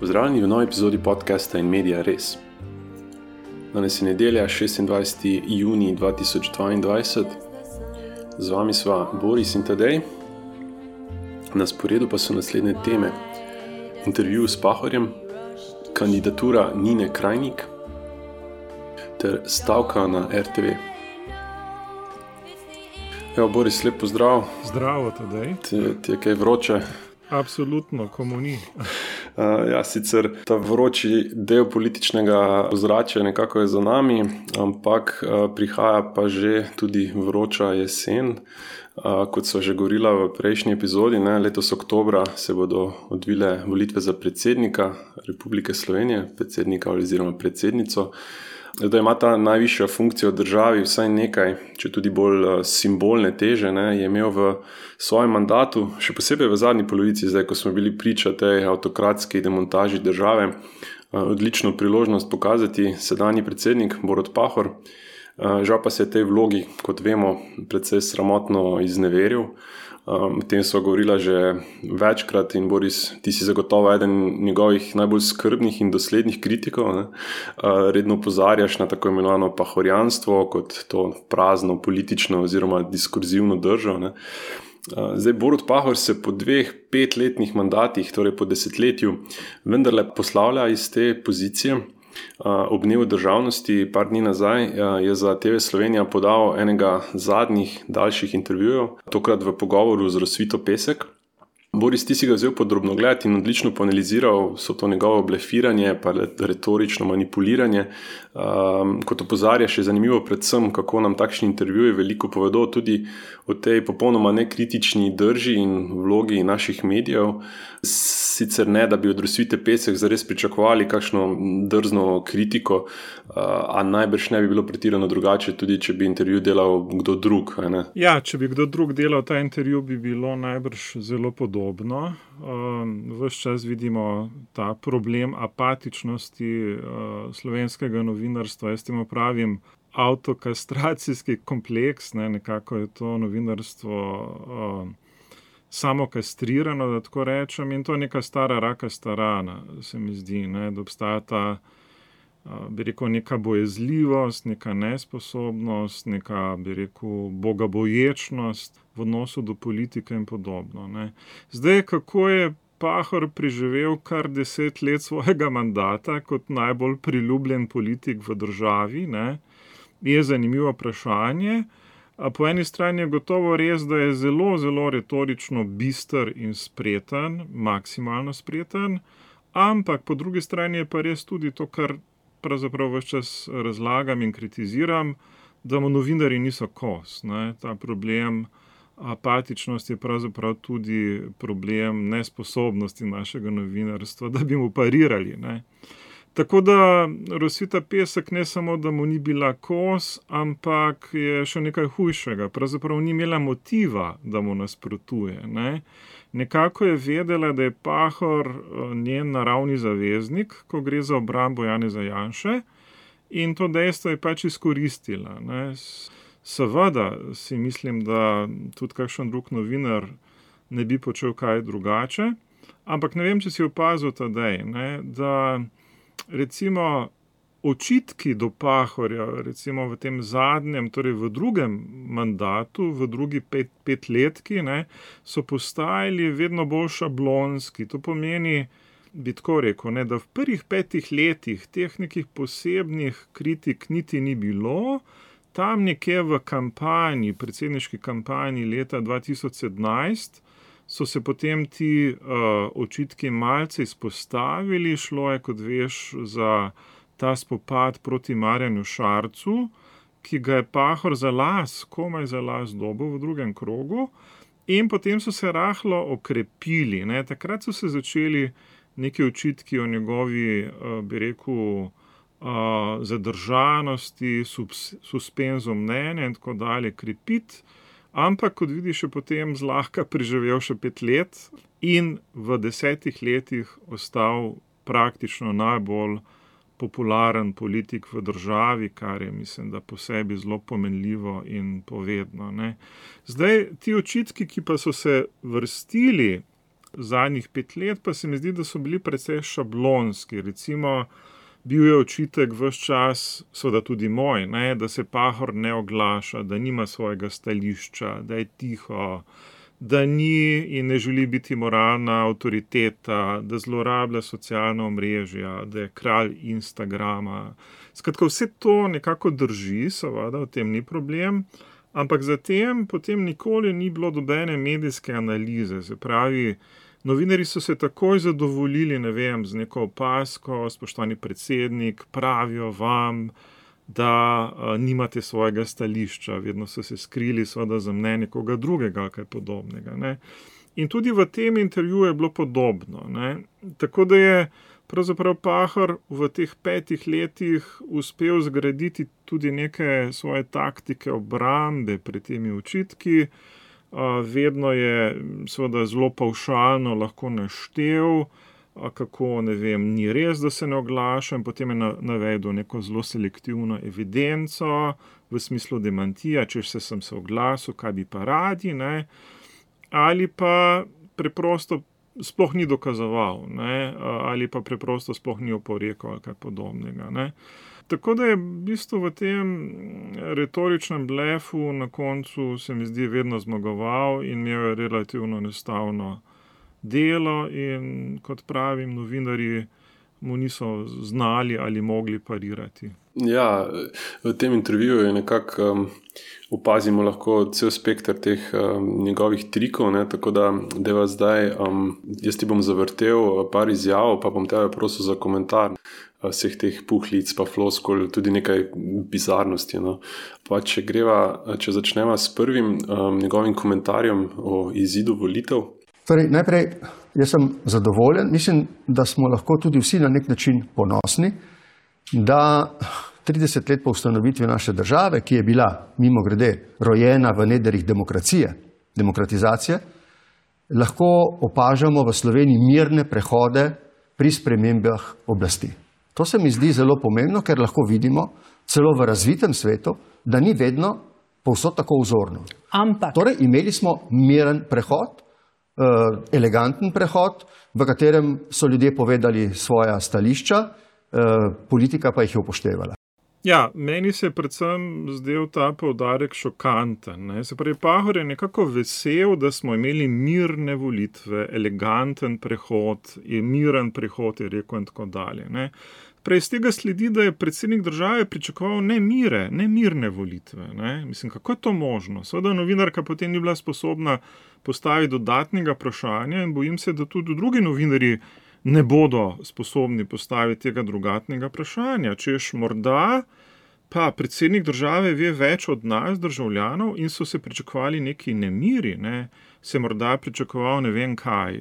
Pozdravljeni v novi epizodi podcasta In Media Res. Danes je nedelja, 26. junij 2022. Z vami sva Boris in Tadej. Na sporedu pa so naslednje teme: intervju s Pahorjem, kandidatura Nine Krajnik ter stavka na RTV. Evo, Boris, lep pozdrav. Zdravo, Tadej. Ti je kaj vroče? Absolutno, komu ni. Sicer ta vroči del političnega ozračja nekako je za nami, ampak prihaja pa že tudi vroča jesen. Kot so že govorila v prejšnji epizodi, letos oktobra se bodo odvile volitve za predsednika Republike Slovenije, predsednika oziroma predsednico. Da ima ta najvišja funkcija v državi vsaj nekaj, če tudi bolj simbolne teže, je imel v svojem mandatu, še posebej v zadnji polovici, zdaj ko smo bili priča tej avtokratski demontaži države, odlično priložnost pokazati sedanji predsednik Borut Pahor. Žal pa se je tej vlogi, kot vemo, precej sramotno izneveril. O tem sva govorila že večkrat in Boris, ti si zagotovo eden njegovih najbolj skrbnih in doslednih kritikov. Redno opozarjaš na tako imenovano pahorjanstvo kot to prazno politično oziroma diskurzivno držo. Zdaj, Borut Pahor se po 2 5-letnih mandatih, torej po desetletju, vendarle poslavlja iz te pozicije. Ob dnevu državnosti, par dni nazaj, je za TV Slovenija podal enega zadnjih daljših intervjujev, tokrat v pogovoru z Rosvito Pesek. Boris, ti si ga vzel pod drobnogled in odlično poanaliziral so to njegovo blefiranje, pa retorično manipuliranje. Kot opozarjaš, je zanimivo predvsem, kako nam takšni intervjuji veliko povedo tudi o tej popolnoma nekritični drži in vlogi naših medijev. Sicer ne, da bi od Rosvite Pesek zares pričakovali kakšno drzno kritiko, a najbrž ne bi bilo pretirano drugače, tudi če bi intervju delal kdo drug. Ja, če bi kdo drug delal ta intervju, bi bilo najbrž zelo podobno. Ves čas vidimo ta problem apatičnosti slovenskega novinarstva. Jaz temu pravim avtokastracijski kompleks, nekako je to novinarstvo samo kastrirano, da tako rečem, in to je neka stara rakasta rana, se mi zdi, da obstaja ta, bi rekel, neka bojazljivost, neka nesposobnost, neka, bi rekel, bogaboječnost v odnosu do politike in podobno. Zdaj, kako je Pahor preživel kar 10 let svojega mandata kot najbolj priljubljen politik v državi, je zanimivo vprašanje. Po eni strani je gotovo res, da je zelo, zelo retorično bister in spreten, maksimalno spreten, ampak po drugi strani je pa res tudi to, kar pravzaprav ves čas razlagam in kritiziram, da mu novinarji niso kos. Ta problem apatičnosti je pravzaprav tudi problem nesposobnosti našega novinarstva, da bi mu parirali. Tako da Rosvita Pesek ne samo, da mu ni bila kos, ampak je še nekaj hujšega. Pravzaprav ni imela motiva, da mu nasprotuje. Nekako je vedela, da je Pahor njen naravni zaveznik, ko gre za obrambo Janeza Janše, in to dejstvo je pač izkoristila. Seveda si mislim, da tudi kakšen drug novinar ne bi počel kaj drugače, ampak ne vem, če si opazil, Tadej, da recimo očitki do Pahorja, recimo v tem zadnjem, torej v drugem mandatu, v drugi petletki, so postajali vedno bolj šablonski. To pomeni, bi tako rekel, da v prvih 5 letih teh nekih posebnih kritik niti ni bilo. Tam nekje v kampanji, predsedniški kampanji leta 2017, so se potem ti očitki malce izpostavili. Šlo je, kot veš, za ta spopad proti Marjanu Šarcu, ki ga je Pahor komaj za las dobil v drugem krogu, in potem so se rahlo okrepili. Takrat so se začeli neki očitki o njegovi, bi rekel, zadržanosti, suspenzu mnenja in tako dalje krepiti. Ampak, kot vidiš, je potem zlahka preživel še 5 let in v 10 letih ostal praktično najbolj popularen politik v državi, kar je, mislim, da po sebi zelo pomenljivo in povedno. Zdaj, ti očitki, ki pa so se vrstili Zadnjih 5 let pa se mi zdi, da so bili precej šablonski. Recimo, bil je očitek ves čas, seveda tudi moj, ne, da se Pahor ne oglaša, da nima svojega stališča, da je tiho, da ni in ne želi biti moralna avtoriteta, da zlorablja socialna omrežja, da je kralj Instagrama. Skratka, vse to nekako drži, seveda, v tem ni problem, ampak zatem potem nikoli ni bilo nobene medijske analize. Se pravi, novinarji so se takoj zadovoljili, ne vem, z neko opazko, spoštovani predsednik, pravijo vam, da nimate svojega stališča, vedno so se skrili seveda za mnenje koga drugega ali kaj podobnega. Ne. In tudi v tem intervjuju je bilo podobno. Ne. Tako da je pravzaprav Pahor v teh 5 letih uspel zgraditi tudi neke svoje taktike obrambe pred temi očitki. Vedno je seveda zelo pavšalno lahko naštel, kako, ne vem, ni res, da se ne oglaša, in potem je navedel neko zelo selektivno evidenco v smislu demantija, če sem se oglasil, kaj bi pa radi, ne, ali pa preprosto sploh ni dokazoval, ne, ali pa preprosto sploh ni oporekal ali kaj podobnega, ne. Tako da je v bistvu v tem retoričnem blefu na koncu se mi zdi vedno zmagoval in imel je relativno enostavno delo in, kot pravim, novinarji mu niso znali ali mogli parirati. Ja, v tem intervjuju je nekako opazimo lahko cel spekter teh njegovih trikov, ne, tako da deva zdaj, jaz ti bom zavrtel par izjav, pa bom tebe prosil za komentar vseh teh puhlic, pa floskul, tudi nekaj bizarnosti. No. Pa če začneva s prvim njegovim komentarjem o izidu volitev. Torej, najprej, jaz sem zadovoljen, mislim, da smo lahko tudi vsi na nek način ponosni, da 30 let po ustanovitvi naše države, ki je bila mimogrede rojena v nedrjih demokratizacije, lahko opažamo v Sloveniji mirne prehode pri spremembah oblasti. To se mi zdi zelo pomembno, ker lahko vidimo celo v razvitem svetu, da ni vedno povsod tako vzorno. Torej, imeli smo miren prehod, eleganten prehod, v katerem so ljudje povedali svoja stališča, politika pa jih je upoštevala. Ja, meni se je predvsem zdel ta poudarek šokanten. Ne. Se pravi, Pahor je nekako vesel, da smo imeli mirne volitve, eleganten prehod, miren prehod, je rekel in tako dalje. Ne. Prej iz tega sledi, da je predsednik države pričakoval nemirne volitve. Ne. Mislim, kako je to možno? Seveda novinarka potem ni bila sposobna postaviti dodatnega vprašanja in bojim se, da tudi drugi novinarji ne bodo sposobni postaviti tega drugatnega vprašanja. Češ morda pa predsednik države ve več od nas, državljanov, in so se pričakovali neki nemiri, ne. Se morda pričakoval ne vem kaj,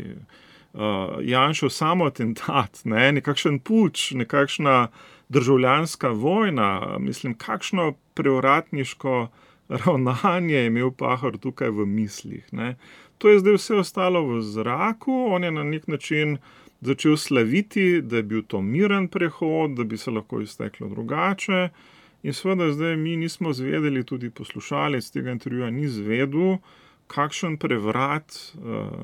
Janšev samoatentat, ne, nekakšen puč, nekakšna državljanska vojna, mislim, kakšno preuratniško ravnanje je imel Pahor tukaj v mislih, ne. To je zdaj vse ostalo v zraku, on je na nek način začel slaviti, da je bil to miren prehod, da bi se lahko izteklo drugače in seveda zdaj mi nismo zvedeli, tudi poslušalec tega intervjuja ni zvedel, kakšen prevrat,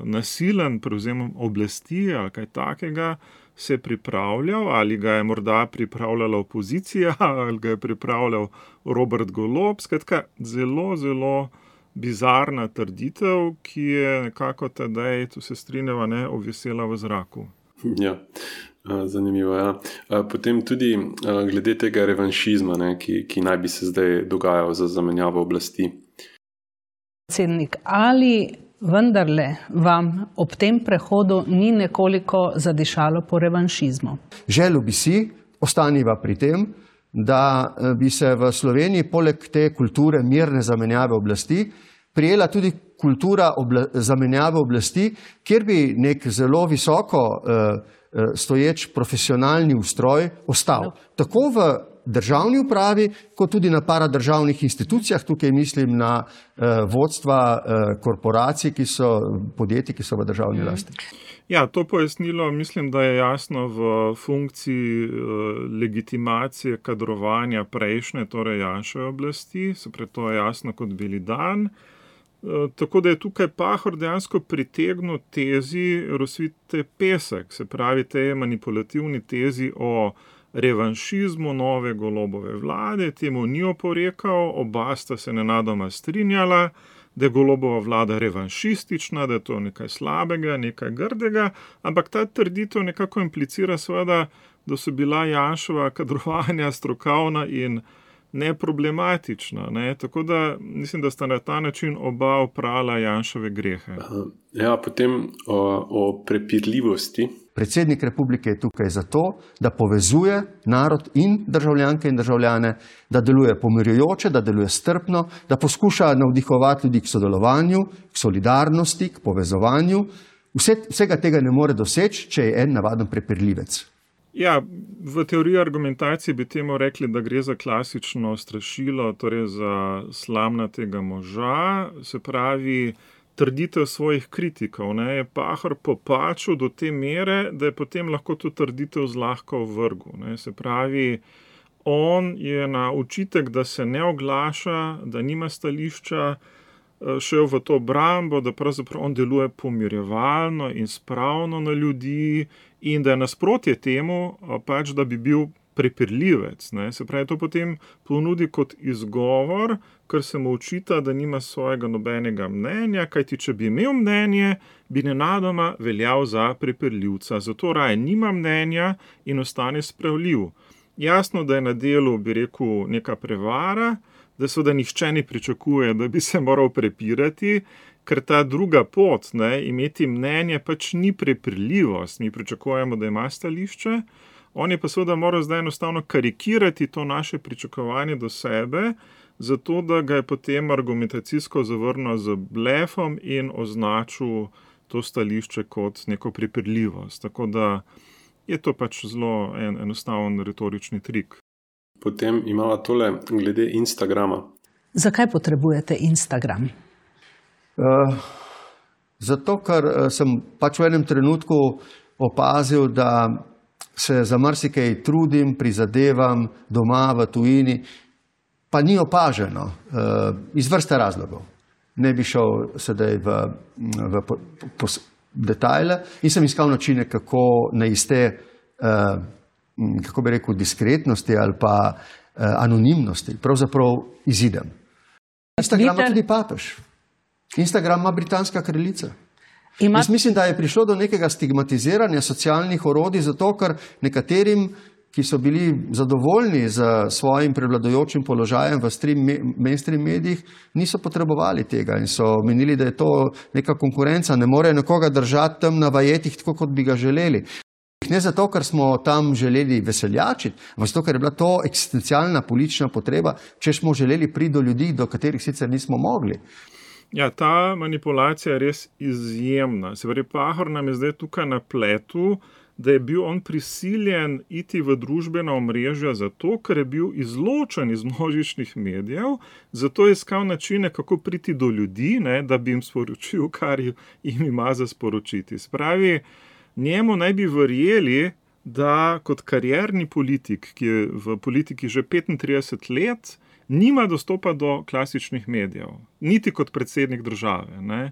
nasilen prevzem oblasti ali kaj takega se je pripravljal, ali ga je morda pripravljala opozicija, ali ga je pripravljal Robert Golob, skratka zelo, zelo bizarna trditev, ki je nekako tedaj, tu se strinjava, ne, obvisela v zraku. Ja, zanimivo, ja. Potem tudi glede tega revanšizma, ne, ki naj bi se zdaj dogajal za zamenjavo oblasti. Predsednik, ali vendarle vam ob tem prehodu ni nekoliko zadišalo po revanšizmu? Želel bi si, ostaniva pri tem, da bi se v Sloveniji poleg te kulture mirne zamenjave oblasti prijela tudi kultura zamenjave oblasti, kjer bi nek zelo visoko stoječ profesionalni ustroj ostal. Tako v državni upravi, kot tudi na paradržavnih institucijah, tukaj mislim na vodstva korporacij, podjetij, ki so v državni lasti. Ja, to pojasnilo mislim, da je jasno v funkciji legitimacije kadrovanja prejšnje, torej Janševe oblasti, se pravi, to je jasno kot beli dan. Tako da je tukaj Pahor dejansko pritegnil tezi Rosvite Pesek, se pravi tej manipulativni tezi o revanšizmu nove Golobove vlade, temu ni oporekal, oba sta se nenadoma strinjala, da je Golobova vlada revanšistična, da je to nekaj slabega, nekaj grdega, ampak ta trditev nekako implicira seveda, da so bila Janševa kadrovanja strokovna in neproblematična. Ne? Tako da mislim, da sta na ta način oba oprala Janševe grehe. Ja, potem o prepirljivosti. Predsednik republike je tukaj zato, da povezuje narod in državljanke in državljane, da deluje pomirjujoče, da deluje strpno, da poskuša navdihovati ljudi k sodelovanju, k solidarnosti, k povezovanju. Vsega tega ne more doseči, če je en navaden prepirljivec. Ja, v teoriji argumentacije bi temu rekli, da gre za klasično strašilo, torej za slamnatega moža, se pravi trditev svojih kritikov. Ne, je Pahor popačil do te mere, da je potem lahko to trditev zlahka ovrgel. Ne, se pravi, on je na očitek, da se ne oglaša, da nima stališča, šel v to obrambo, da pravzaprav on deluje pomirjevalno in spravno na ljudi in da je nasprotje temu, pač da bi bil prepirljivec. Ne. Se pravi, to potem ponudi kot izgovor, ker se mu očita, da nima svojega nobenega mnenja, kajti če bi imel mnenje, bi nenadoma veljal za prepirljivca. Zato raje nima mnenja in ostane spravljiv. Jasno, da je na delu, bi rekel, neka prevara, da seveda nihče ne pričakuje, da bi se moral prepirati, ker ta druga pot, ne, imeti mnenje, pač ni prepirljivost. Mi pričakujemo, da ima stališče. On je pa seveda moral zdaj enostavno karikirati to naše pričakovanje do sebe, zato da ga je potem argumentacijsko zavrnil z blefom in označil to stališče kot neko prepirljivost. Tako da je to pač zelo enostaven retorični trik. Potem imamo tole glede Instagrama. Zakaj potrebujete Instagram? Zato, ker sem pač v enem trenutku opazil, da se za marsikaj trudim, prizadevam doma v tujini, pa ni opaženo iz vrste razlogov. Ne bi šel sedaj v detajle in sem iskal načine, kako na iste, kako bi rekel, diskretnosti ali pa anonimnosti pravzaprav izidem. Instagram ima tudi papež. Instagram ima britanska kraljica. Jaz mislim, da je prišlo do nekega stigmatiziranja socialnih orodij, zato ker nekaterim, ki so bili zadovoljni z svojim prevladujočim položajem v mainstream medijih, niso potrebovali tega in so menili, da je to neka konkurenca, ne more nekoga držati tam na vajetih, tako kot bi ga želeli. Ne zato, ker smo tam želeli veseljačiti, ampak zato, ker je bila to eksistencialna politična potreba, če smo želeli priti do ljudi, do katerih sicer nismo mogli. Ja, ta manipulacija je res izjemna. Se pravi, Pahor nam je zdaj tukaj na pletu, da je bil on prisiljen iti v družbena omrežja zato, ker je bil izločen iz množičnih medijev, zato je iskal načine, kako priti do ljudi, ne, da bi jim sporočil, kar jim ima za sporočiti. Spravi, njemu naj bi verjeli, da kot karierni politik, ki je v politiki že 35 let, nima dostopa do klasičnih medijev, niti kot predsednik države, ne?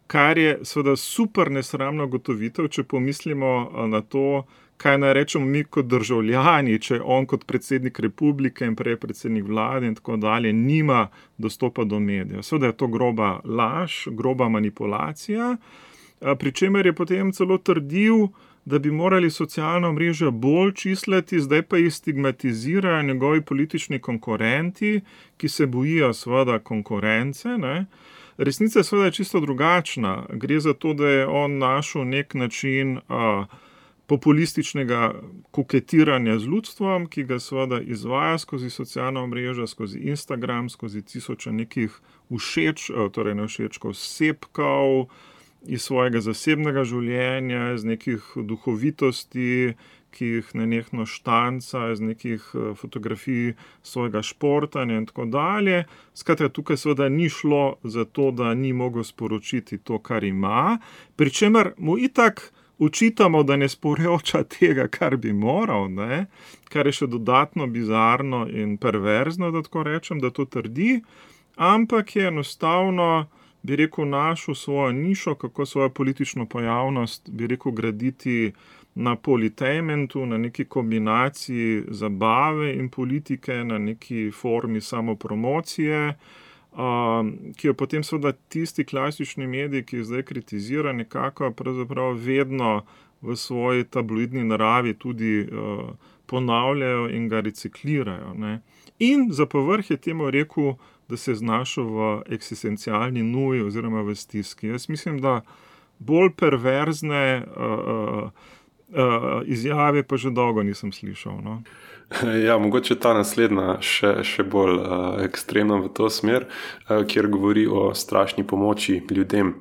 Kar je seveda super nesramno gotovitev, če pomislimo na to, kaj naj rečemo mi kot državljani, če on kot predsednik republike in prej predsednik vlade in tako dalje nima dostopa do medijev. Seveda je to groba laž, groba manipulacija, pri čemer je potem celo trdil, da bi morali socialna omrežja bolj čislati, zdaj pa jih stigmatizirajo njegovi politični konkurenti, ki se bojijo seveda konkurence. Ne? Resnica je seveda čisto drugačna. Gre za to, da je on našel nek način populističnega koketiranja z ljudstvom, ki ga seveda izvaja skozi socialna omrežja, skozi Instagram, skozi tisoče nekih všeč, torej ne všečkov, sepkov, iz svojega zasebnega življenja, iz nekih duhovitosti, ki jih nenehno štanca, iz nekih fotografij svojega športanja in tako dalje. Skratka, tukaj seveda ni šlo za to, da ni mogel sporočiti to, kar ima, pri čemer mu itak očitamo, da ne sporoča tega, kar bi moral, ne? Kar je še dodatno bizarno in perverzno, da tako rečem, da to trdi, ampak je enostavno bi rekel, našel svojo nišo, kako svojo politično pojavnost, bi rekel, graditi na politainmentu, na neki kombinaciji zabave in politike, na neki formi samopromocije, ki jo potem seveda tisti klasični mediji, ki jih zdaj kritizira, nekako pravzaprav vedno v svoji tabloidni naravi tudi ponavljajo in ga reciklirajo, ne. In za povrh je temu rekel, da se je znašel v eksistencialni nuji oziroma v stiski. Jaz mislim, da bolj perverzne izjave pa že dolgo nisem slišal, no. Ja, mogoče ta naslednja še bolj ekstremna v to smer, kjer govori o strašni pomoči ljudem.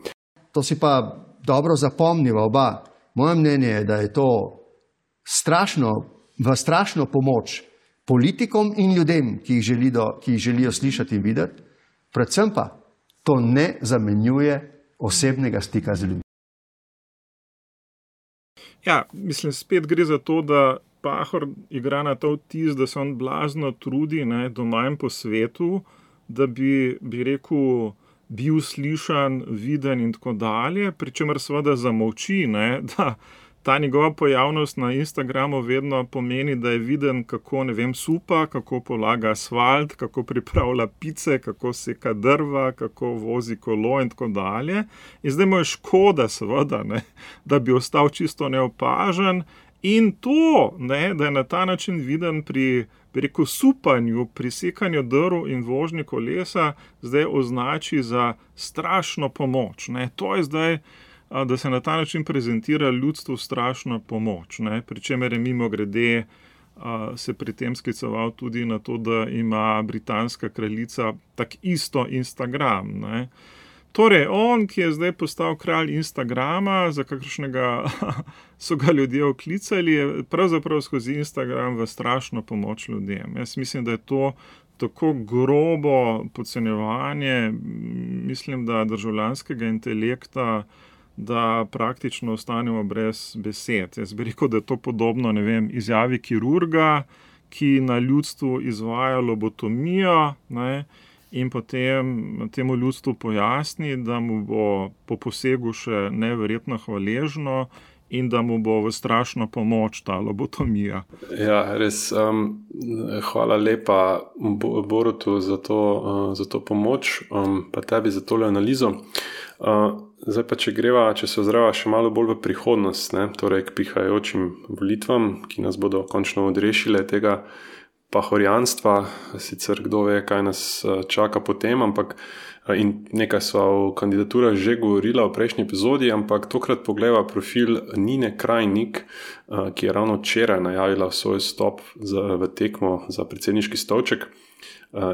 To si pa dobro zapomniva oba. Moje mnenje je, da je to strašno pomoč politikom in ljudem, ki jih želijo slišati in videti, predvsem pa to ne zamenjuje osebnega stika z ljudmi. Ja, mislim, spet gre za to, da Pahor igra na to vtis, da se on blazno trudi, ne, doma in po svetu, da bi rekel, bil slišan, viden in tako dalje, pri čemer seveda zamolči, ne, da ta njegova pojavnost na Instagramu vedno pomeni, da je viden, kako, ne vem, supa, kako polaga asfalt, kako pripravlja pice, kako seka drva, kako vozi kolo in tako dalje. In zdaj mu je škoda, seveda, ne, da bi ostal čisto neopažen. In to, ne, da je na ta način viden pri rekel, supanju, pri sekanju drv in vožnji kolesa, zdaj označi za strašno pomoč. Ne. To je zdaj, da se na ta način prezentira ljudstvu strašna pomoč, ne. Pri čemer je mimogrede se pri tem skliceval tudi na to, da ima britanska kraljica tak isto Instagram, ne. Torej, on, ki je zdaj postal kralj Instagrama, za kakršnega so ga ljudje oklicali, je pravzaprav skozi Instagram v strašno pomoč ljudem. Jaz mislim, da je to tako grobo podcenjevanje, mislim, da državljanskega intelekta, da praktično ostanemo brez besed. Jaz bi rekel, da je to podobno, ne vem, izjavi kirurga, ki na ljudstvu izvaja lobotomijo, ne, in potem temu ljudstvu pojasni, da mu bo po posegu še neverjetno hvaležno in da mu bo v strašno pomoč ta lobotomija. Ja, res. Hvala lepa Borutu za to pomoč, pa tebi za tole analizo. Zdaj pa, če se ozreva še malo bolj v prihodnost, ne, torej k prihajajočim volitvam, ki nas bodo končno odrešile tega pahorjanstva, sicer kdo ve, kaj nas čaka potem, ampak in nekaj sva o kandidaturah že govorila v prejšnji epizodi, ampak tokrat pogleda profil Nine Krajnik, ki je ravno včeraj najavila svoj stop v tekmo za predsedniški stolček.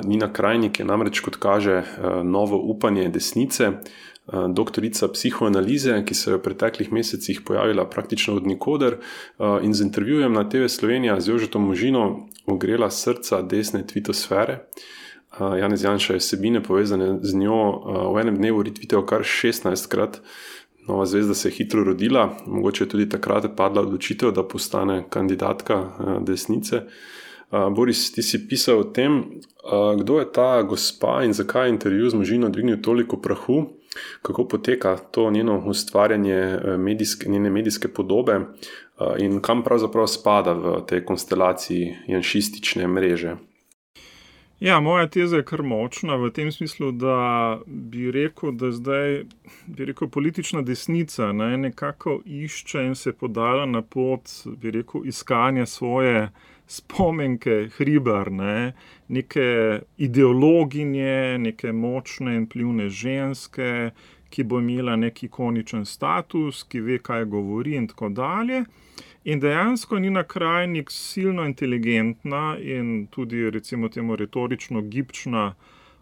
Nina Krajnik je namreč, kot kaže, novo upanje desnice, doktorica psihoanalize, ki se je v preteklih mesecih pojavila praktično od nikoder in z intervjujem na TV Slovenija z Jožetom Možino ogrela srca desne tvitosfere. Janez Janša je vsebine povezane z njo v enem dnevu retweetal kar 16-krat. Nova zvezda se je hitro rodila, mogoče je tudi takrat padla odločitev, da postane kandidatka desnice. Boris, ti si pisal o tem, kdo je ta gospa in zakaj je intervju z Možino dvignil toliko prahu, kako poteka to njeno ustvarjanje njene medijske podobe in kam pravzaprav spada v tej konstelaciji janšistične mreže. Ja, moja teza je kar močna v tem smislu, da bi rekel, da zdaj politična desnica, ne, nekako išče in se podala na pot, bi rekel, iskanja svoje spomenke Hribar, ne, neke ideologinje, neke močne in vplivne ženske, ki bo imela nek ikoničen status, ki ve, kaj govori in tako dalje. In dejansko Nina Krajnik silno inteligentna in tudi recimo temu retorično gibčna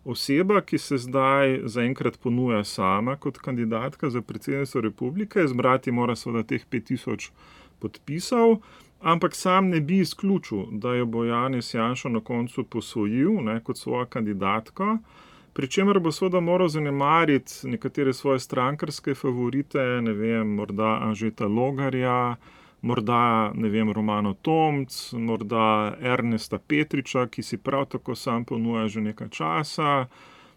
oseba, ki se zdaj zaenkrat ponuja sama kot kandidatka za predsednico republike. Zbrati mora seveda teh 5000 podpisov, ampak sam ne bi izključil, da jo bo Janez Janša na koncu posvojil, ne, kot svojo kandidatko, pri čemer bo seveda moral zanemariti nekatere svoje strankarske favorite, ne vem, morda Anžeta Logarja, morda, ne vem, Romano Tomc, morda Ernesta Petriča, ki si prav tako sam ponuja že nekaj časa,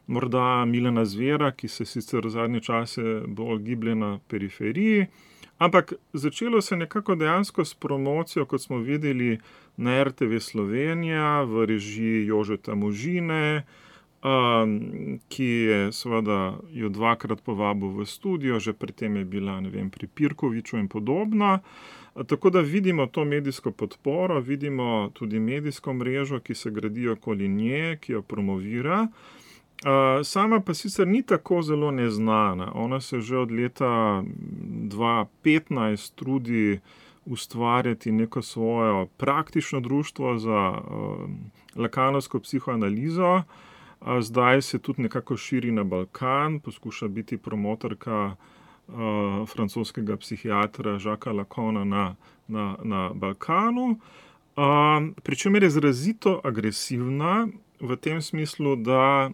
morda Milana Zvera, ki se sicer v zadnje čase bolj giblje na periferiji, ampak začelo se nekako dejansko s promocijo, kot smo videli na RTV Slovenija v režiji Jožeta Možine, ki je seveda jo 2-krat povabil v studio, že pri tem je bila, pri Pirkoviču in podobno. Tako da vidimo to medijsko podporo, vidimo tudi medijsko mrežo, ki se gradi okoli nje, ki jo promovira. Sama pa sicer ni tako zelo neznana. Ona se že od leta 2015 trudi ustvarjati neko svojo praktično društvo za lakanovsko psihoanalizo. Zdaj se tudi nekako širi na Balkan, poskuša biti promotorka francoskega psihiatra Jacquesa Lacana na Balkanu. Pričemer je izrazito agresivna v tem smislu, da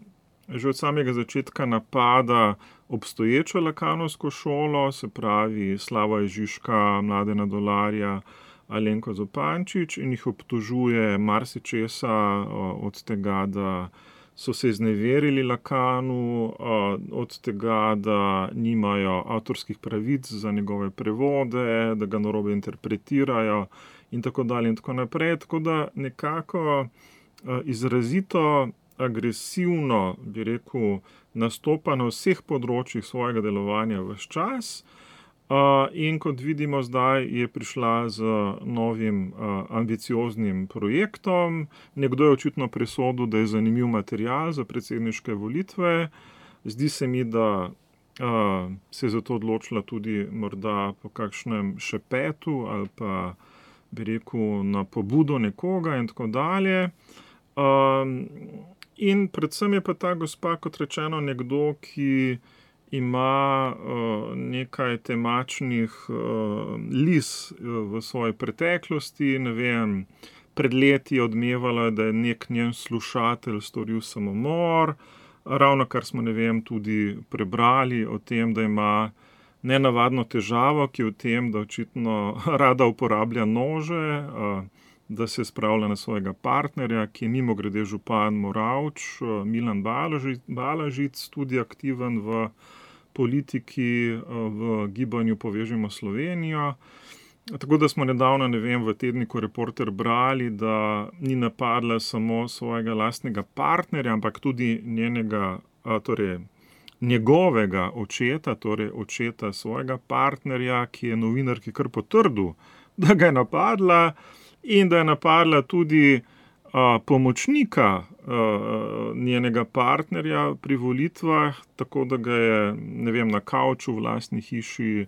že od samega začetka napada obstoječo lakanovsko šolo, se pravi Slavoja Žižka, Mladena Dolarja, Alenko Zupančič, in jih obtožuje marsičesa, od tega, da so se izneverili Lacanu, od tega, da nimajo avtorskih pravic za njegove prevode, da ga narobe interpretirajo in tako dalje in tako naprej. Tako da nekako izrazito agresivno, bi rekel, nastopa na vseh področjih svojega delovanja ves čas. In kot vidimo zdaj, je prišla z novim ambicioznim projektom. Nekdo je očitno presodil, da je zanimiv material za predsedniške volitve. Zdi se mi, da se je zato odločila tudi morda po kakšnem šepetu ali pa, bi rekel, na pobudo nekoga in tako dalje. In predvsem je pa ta gospa, kot rečeno, nekdo, ki ima nekaj temačnih lis v svoji preteklosti. Pred leti je odmevala, da je nek njen slušatelj storil samomor. Ravno kar smo, tudi prebrali o tem, da ima nenavadno težavo, ki je v tem, da očitno rada uporablja nože, da se spravlja na svojega partnerja, ki je mimogrede župan Moravč, Milan Balažic, tudi aktiven v politiki, v gibanju Povežimo Slovenijo. Tako da smo nedavno, v tedniku Reporter brali, da ni napadla samo svojega lastnega partnerja, ampak tudi njegovega očeta, torej očeta svojega partnerja, ki je novinarki kar potrdil, da ga je napadla, in da je napadla tudi pomočnika njenega partnerja pri volitvah, tako da ga je, na kavču v lastni hiši,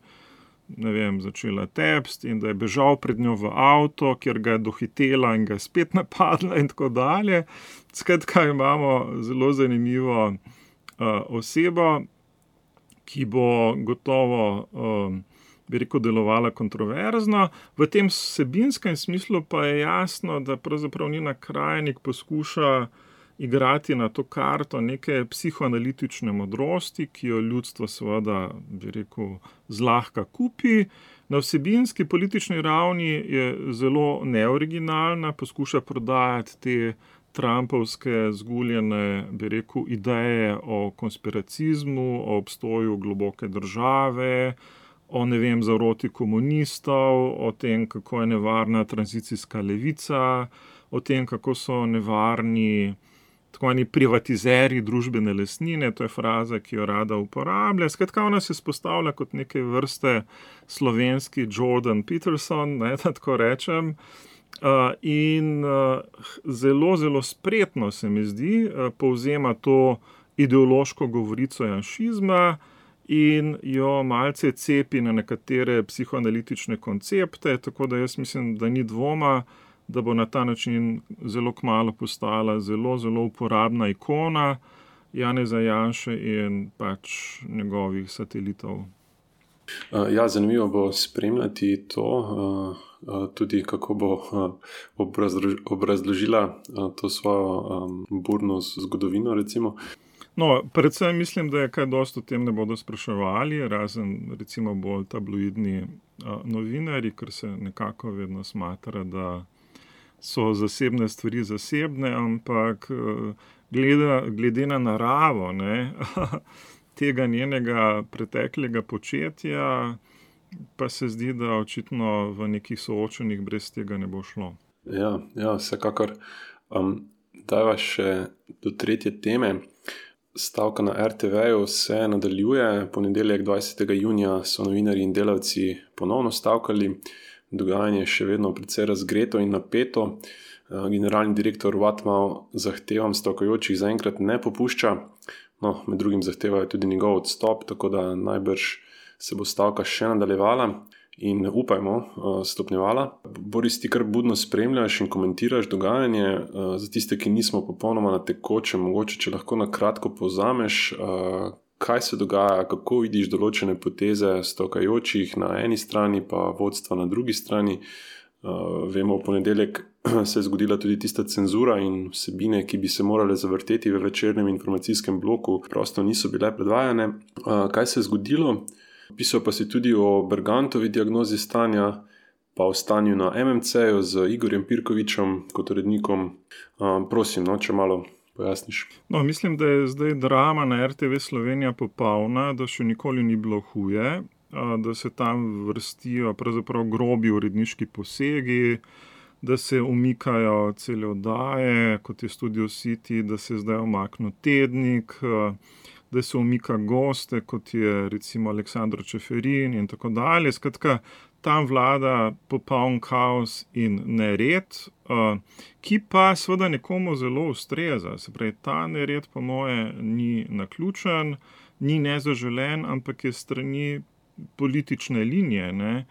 začela tepsti in da je bežal pred njo v avto, kjer ga je dohitela in ga je spet napadla in tako dalje. Skratka, imamo zelo zanimivo osebo, ki bo gotovo bi rekel, delovala kontroverzno. V tem vsebinskem smislu pa je jasno, da pravzaprav Nina Krajnik poskuša igrati na to karto neke psihoanalitične modrosti, ki jo ljudstvo seveda, bi rekel, zlahka kupi. Na vsebinski politični ravni je zelo neoriginalna, poskuša prodajati te trumpovske zguljene, bi rekel, ideje o konspiracizmu, o obstoju globoke države, o, zaroti komunistov, o tem, kako je nevarna tranzicijska levica, o tem, kako so nevarni tako oni privatizeri družbene lastnine, to je fraza, ki jo rada uporablja. Skratka, ona se spostavlja kot neke vrste slovenski Jordan Peterson, da tako rečem. In zelo, zelo spretno se mi zdi, povzema to ideološko govorico janšizma in jo malce cepi na nekatere psihoanalitične koncepte, tako da jaz mislim, da ni dvoma, da bo na ta način zelo kmalu postala zelo, zelo uporabna ikona Janeza Janše in pač njegovih satelitov. Ja, zanimivo bo spremljati to, tudi kako bo obrazložila to svojo burno zgodovino, recimo. No, predvsem mislim, da je kaj dosti o tem ne bodo spraševali, razen recimo bolj tabloidni novinarji, ker se nekako vedno smatra, da so zasebne stvari zasebne, ampak glede na naravo, ne, tega njenega preteklega početja, pa se zdi, da očitno v nekih soočenjih brez tega ne bo šlo. Ja, vsekakor. Dajva še do tretje teme. Stavka na RTV-ju se nadaljuje. Ponedeljek 20. junija so novinarji in delavci ponovno stavkali. Dogajanje je še vedno precej razgreto in napeto. Generalni direktor Vatmal zahtevam stavkajočih zaenkrat ne popušča. No, med drugim zahtevajo tudi njegov odstop, tako da najbrž se bo stavka še nadaljevala in upajmo stopnjevala. Boris, ti kar budno spremljaš in komentiraš dogajanje. Za tiste, ki nismo popolnoma na tekočem, mogoče če lahko na kratko povzameš, kaj se dogaja, kako vidiš določene poteze stavkajočih na eni strani, pa vodstva na drugi strani. Vemo, v ponedeljek se je zgodila tudi tista cenzura in vsebine, ki bi se morale zavrteti v večernem informacijskem bloku, prosto niso bile predvajane. Kaj se je zgodilo? Pisal pa si tudi o Bergantovi diagnozi stanja, pa o stanju na MMC-ju z Igorjem Pirkovičem kot urednikom. Prosim, če malo pojasniš. No, mislim, da je zdaj drama na RTV Slovenija popolna, da še nikoli ni bilo huje, da se tam vrstijo pravzaprav grobi uredniški posegi, da se umikajo cele oddaje, kot je Studio City, da se zdaj umaknil Tednik, da se umika goste, kot je recimo Aleksandr Čeferin in tako dalje. Skratka, tam vlada popoln kaos in nered, ki pa seveda nekomu zelo ustreza. Se pravi, ta nered po moje ni naključen, ni nezaželen, ampak je strani politične linije, ne,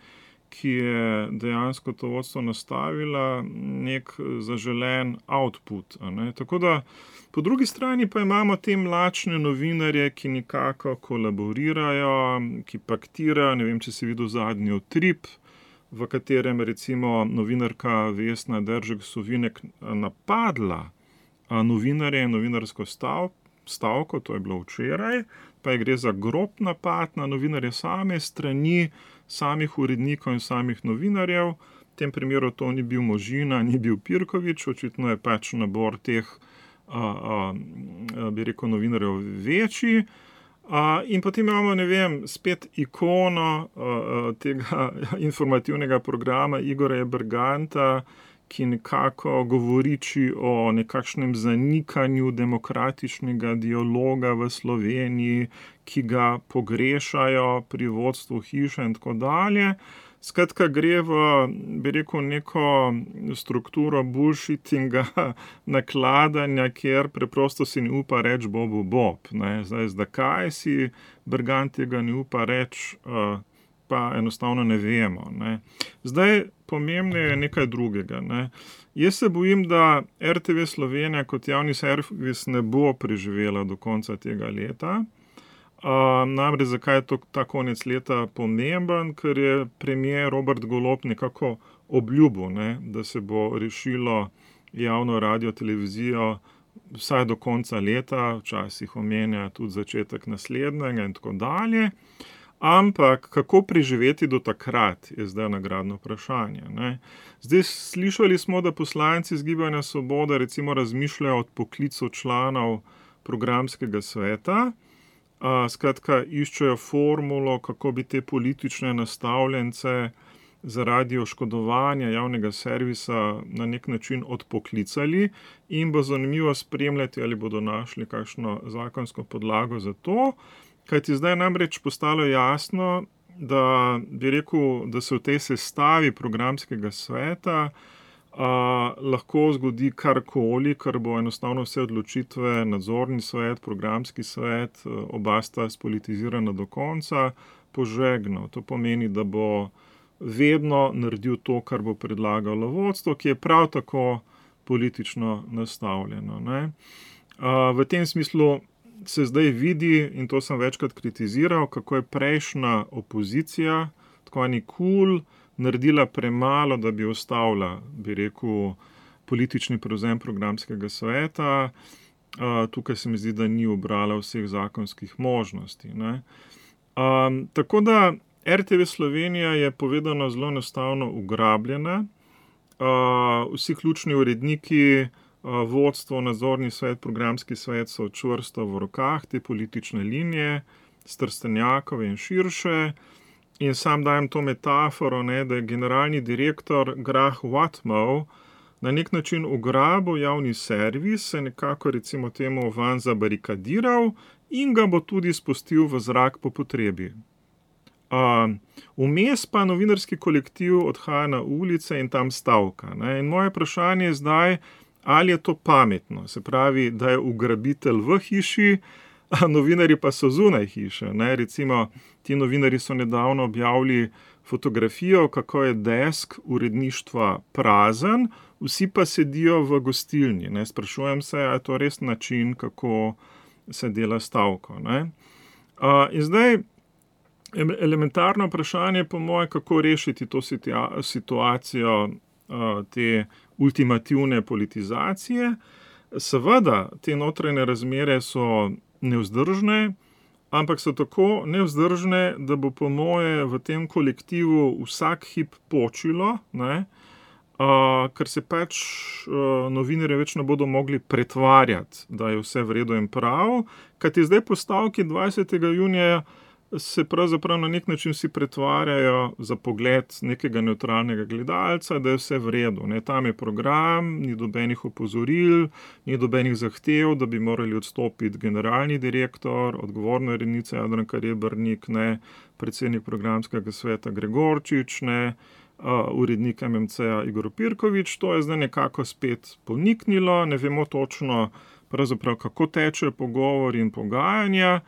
ki je dejansko to vodstvo nastavila nek zaželen output. Ne. Tako da po drugi strani pa imamo te mlačne novinarje, ki nekako kolaborirajo, ki paktirajo. Ne vem, če si videl zadnji Utrip, v katerem recimo novinarka Vesna Deržek-Sovinek napadla novinarje in novinarsko stavko, to je bilo včeraj, pa gre za grob napad na novinarje same strani samih urednikov in samih novinarjev. V tem primeru to ni bil Možina, ni bil Pirkovič, očitno je pač nabor teh, bi rekel, novinarjev večji. In potem imamo, ne vem, spet ikono tega informativnega programa Igorja Berganta, ki nekako govoriči o nekakšnem zanikanju demokratičnega dialoga v Sloveniji, ki ga pogrešajo pri vodstvu hiše in tako dalje. Skratka, gre v, bi rekel, neko strukturo bullshittinga, nakladanja, kjer preprosto si ne upa reči Bob. Ne. Zdaj, zakaj si Bergant tega ne upa reči, pa enostavno ne vemo. Ne. Zdaj, pomembno je nekaj drugega. Ne. Jaz se bojim, da RTV Slovenija kot javni servis ne bo preživela do konca tega leta. Namreč zakaj je ta konec leta pomemben, ker je premier Robert Golob nekako obljubil, ne, da se bo rešilo javno radio televizijo vsaj do konca leta, včasih omenja tudi začetek naslednjega in tako dalje. Ampak kako preživeti do takrat, je zdaj nagradno vprašanje. Ne. Zdaj slišali smo, da poslanci iz Gibanja Svoboda recimo razmišljajo o odpoklicu članov programskega sveta. Skratka, iščejo formulo, kako bi te politične nastavljence zaradi oškodovanja javnega servisa na nek način odpoklicali in bo zanimivo spremljati, ali bodo našli kakšno zakonsko podlago za to. Kajti zdaj namreč postalo jasno, da bi rekel, da se v tej sestavi programskega sveta lahko zgodi karkoli, kar bo enostavno vse odločitve, nadzorni svet, programski svet, oba sta spolitizirana do konca, požegnal. To pomeni, da bo vedno naredil to, kar bo predlagalo vodstvo, ki je prav tako politično nastavljeno. Ne. V tem smislu se zdaj vidi, in to sem večkrat kritiziral, kako je prejšnja opozicija, tako ni kul, naredila premalo, da bi ustavila, bi rekel, politični prevzem programskega sveta. Tukaj se mi zdi, da ni ubrala vseh zakonskih možnosti. Ne. Tako da RTV Slovenija je povedano zelo enostavno ugrabljena. vsi ključni uredniki, vodstvo, nadzorni svet, programski svet so čvrsto v rokah te politične linije, Trstenjakove in širše. In sam dajem to metaforo, ne, da je generalni direktor Grah Whatmough na nek način ugrabil javni servis, se nekako recimo temu van zabarikadiral in ga bo tudi spustil v zrak po potrebi. Vmes pa novinarski kolektiv odhaja na ulice in tam stavka. Ne. In moje vprašanje je zdaj, ali je to pametno, se pravi, da je ugrabitelj v hiši, a novinarji pa so zunaj hiše. Ne. Recimo, ti novinarji so nedavno objavili fotografijo, kako je desk uredništva prazen, vsi pa sedijo v gostilni. Ne. Sprašujem se, ali je to res način, kako se dela stavko. Ne. In zdaj, elementarno vprašanje po moje, kako rešiti to situacijo te ultimativne politizacije. Seveda, te notranje razmere so nevzdržne, ampak so tako nevzdržne, da bo po moje v tem kolektivu vsak hip počilo, ne, ker se pač novinarji več ne bodo mogli pretvarjati, da je vse v redu in prav, kajti zdaj po stavki 20. junija se pravzaprav na nek način vsi pretvarjajo za pogled nekega nevtralnega gledalca, da je vse v redu. Ne. Tam je program, ni dobenih opozoril, ni dobenih zahtev, da bi morali odstopiti generalni direktor, odgovorna urednica Jadranka Rebernik, ne, predsednik programskega sveta Gregorčič, ne, urednik MMC-ja Igor Pirkovič. To je zdaj nekako spet poniknilo, ne vemo točno pravzaprav, kako tečejo pogovori in pogajanja.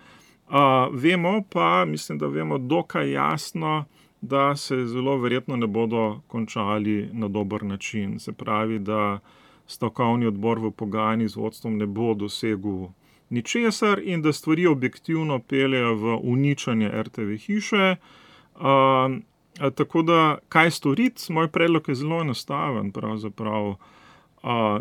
Vemo pa, mislim, da vemo dokaj jasno, da se zelo verjetno ne bodo končali na dober način. Se pravi, da stavkovni odbor v pogajanjih z vodstvom ne bo dosegel ničesar in da stvari objektivno peljejo v uničenje RTV hiše. Tako da, kaj storiti? Moj predlog je zelo enostaven, pravzaprav.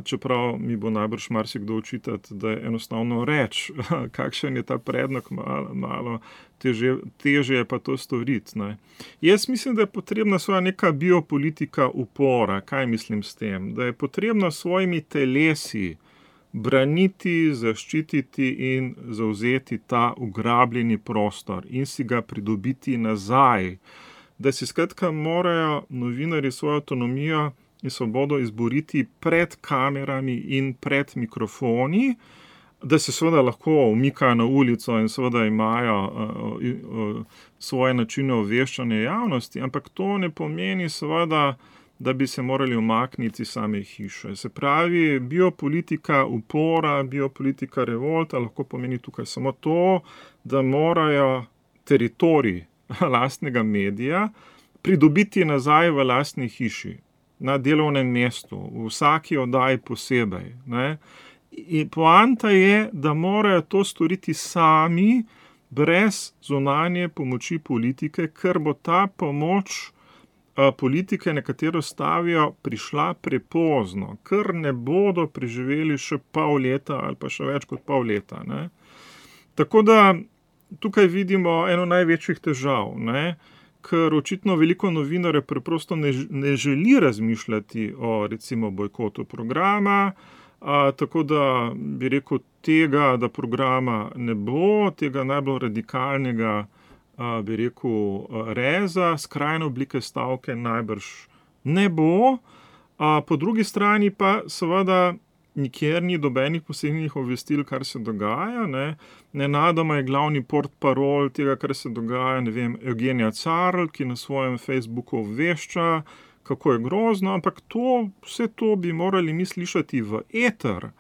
Čeprav mi bo najbrž marsikdo očitati, da je enostavno reči, kakšen je ta predlog, malo težje je pa to storiti. Ne. Jaz mislim, da je potrebna svoja neka biopolitika upora. Kaj mislim s tem? Da je potrebno svojimi telesi braniti, zaščititi in zavzeti ta ugrabljeni prostor in si ga pridobiti nazaj. Da si skratka morajo novinarji svojo avtonomijo in svobodo izboriti pred kamerami in pred mikrofoni, da se seveda lahko umikajo na ulico in seveda imajo svoje načine obveščanja javnosti, ampak to ne pomeni seveda, da bi se morali umakniti same hiše. Se pravi, biopolitika upora, biopolitika revolta lahko pomeni tukaj samo to, da morajo teritorij lastnega medija pridobiti nazaj v lastni hiši, na delovnem mestu, v vsaki oddaji posebej. Ne. In poanta je, da morajo to storiti sami, brez zunanje pomoči politike, ker bo ta pomoč politike, na katero stavijo, prišla prepozno, ker ne bodo preživeli še pol leta ali pa še več kot pol leta. Ne. Tako da tukaj vidimo eno največjih težav, ne. Ker očitno veliko novinarjev preprosto ne želi razmišljati o recimo bojkotu programa, tako da bi rekel tega, da programa ne bo, tega najbolj radikalnega, bi rekel, reza, skrajne oblike stavke najbrž ne bo. Po drugi strani pa seveda nikjer ni dobenih posebnih obvestil, kar se dogaja. Ne. Nenadoma je glavni portparol tega, kar se dogaja, ne vem, Eugenija Carl, ki na svojem Facebooku obvešča, kako je grozno, ampak vse to bi morali mi slišati v eter.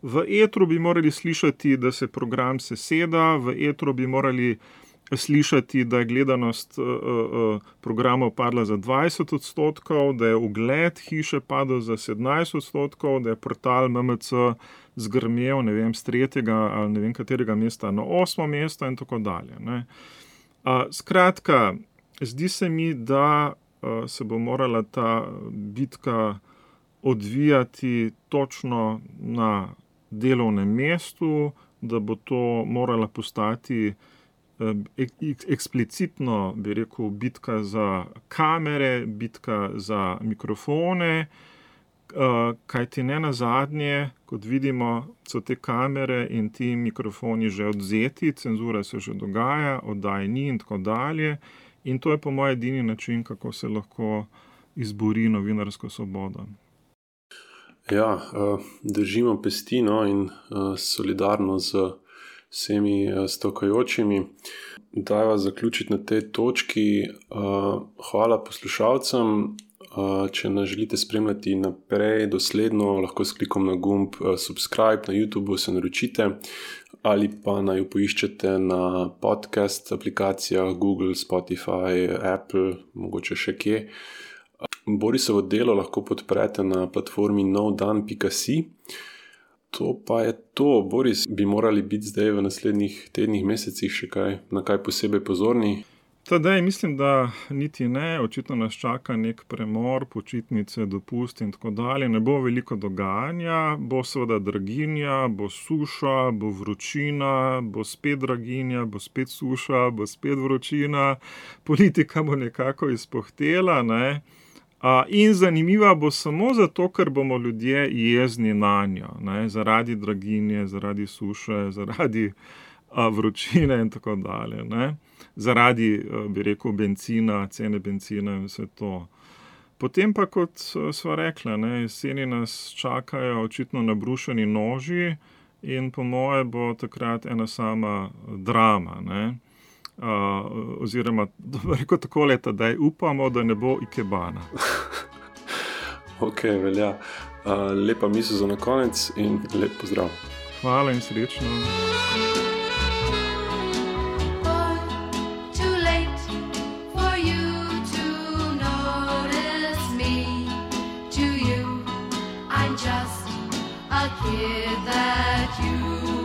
V etru bi morali slišati, da se program seseda, v etru bi morali slišati, da je gledanost programov padla za 20%, da je ugled hiše padel za 17%, da je portal MMC zgrmel, ne vem, z 3. ali ne vem katerega mesta na 8. mesto in tako dalje. Ne. Skratka, zdi se mi, da se bo morala ta bitka odvijati točno na delovnem mestu, da bo to morala postati eksplicitno, bi rekel, bitka za kamere, bitka za mikrofone Kaj ti ne nazadnje, kot vidimo, so te kamere in ti mikrofoni že odzeti, cenzura se že dogaja, oddaj ni in tako dalje. In to je po mojem edini način, kako se lahko izbori novinarsko svobodo. Ja, držimo pesti in solidarno z vsemi stavkajočimi. Dajva zaključiti na tej točki. Hvala poslušalcem. Če nas želite spremljati naprej, dosledno, lahko s klikom na gumb subscribe na YouTubeu se naročite ali pa naj jo poiščete na podcast aplikacijah Google, Spotify, Apple, mogoče še kje. Borisovo delo lahko podprete na platformi novdan.si. To pa je to. Boris, bi morali biti zdaj v naslednjih tednih, mesecih še na kaj posebej pozorni? Tadej, mislim, da niti ne. Očitno nas čaka nek premor, počitnice, dopust in tako dalje. Ne bo veliko dogajanja, bo seveda draginja, bo suša, bo vročina, bo spet draginja, bo spet suša, bo spet vročina. Politika bo nekako izpohtela, ne. In zanimiva bo samo zato, ker bomo ljudje jezni nanjo, ne, zaradi draginje, zaradi suše, zaradi vročine in tako dalje, ne. Zaradi, bi rekel, bencina, cene bencina in vse to. Potem pa, kot sva rekla, ne, jeseni nas čakajo očitno nabrušeni noži in po moje bo takrat ena sama drama, ne. Oziroma, rekel takole, Tadej, upamo, da ne bo ikebana. Ok, velja. Lepa misel za na konec in lep pozdrav. Hvala in srečno. Just a kid that you